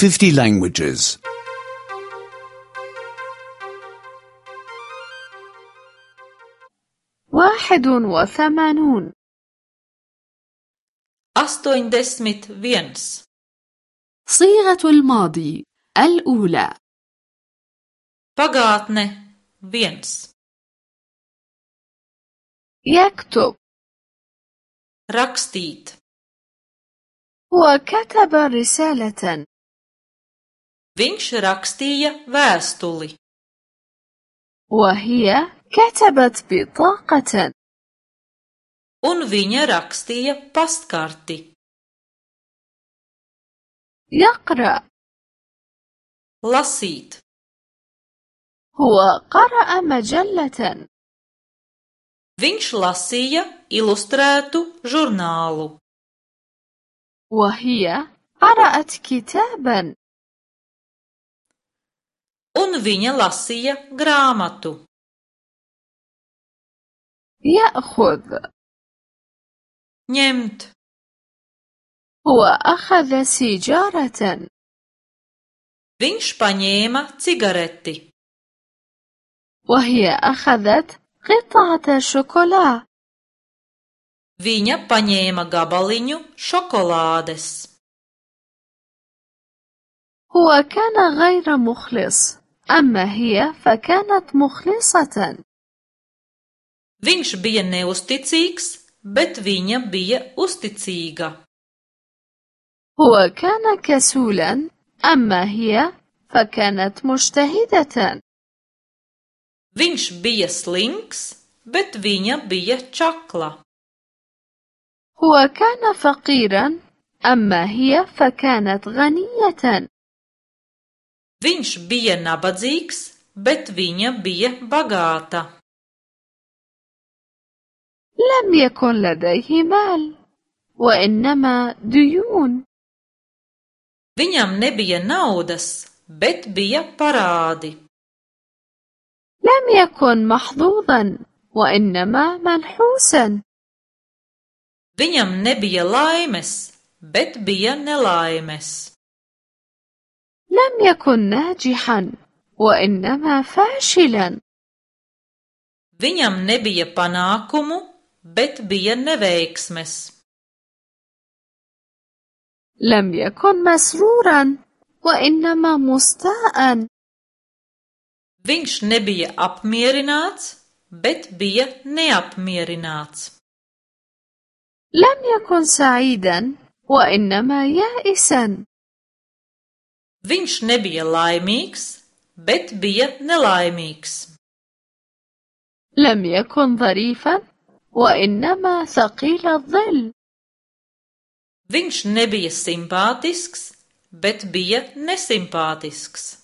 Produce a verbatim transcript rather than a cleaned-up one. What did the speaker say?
fifty languages. واحد وثمانون. astoņdesmit viens. صيغة الماضي الأولى. pagātne viens. يكتب. rakstīt. هو كتب رسالة. viņš rakstīja vēstuli. وهي كتبت بطاقة. un viņa rakstīja pastkarti. يقرأ. lasīt. هو قرأ مجلة. viņš lasīja ilustrētu žurnālu. وهي قرأت كتابا. un viņa lasīja grāmatu. يأخذ. ņemt. هو أخذ سيجارة. viņš paņēma cigareti. وهي أخذت قطعة شوكولا. viņa paņēma gabaliņu šokolādes. هو كان غير مخلص، أما هي فكانت مخلصة. viņš bija neusticīgs, bet viņa bija uzticīga. هو كان كسولا، أما هي فكانت مجتهدة. viņš bija slinks, bet viņa bija čakla. هو كان فقيرا، أما هي فكانت غنية. viņš bija nabadzīgs, bet viņa bija bagāta. لم يكن لديه مال، وإنما ديون. viņam nebija naudas, bet bija parādi. لم يكن محظوظا، وإنما منحوسا. viņam nebija laimes, bet bija nelaimes. لم يكن ناجحا، وإنما فاشلا. viņam nebija panākumu, bet bija neveiksmes. لم يكن مسرورا، وإنما مستاء. viņš nebija apmierināts, bet bija neapmierināts. لم يكن سعيدا، وإنما يائسا. viņš nebija laimīgs, bet bija nelaimīgs. لم يكن ظريفا، وإنما ثقيل الظل. viņš nebija simpātisks, bet bija nesimpātisks.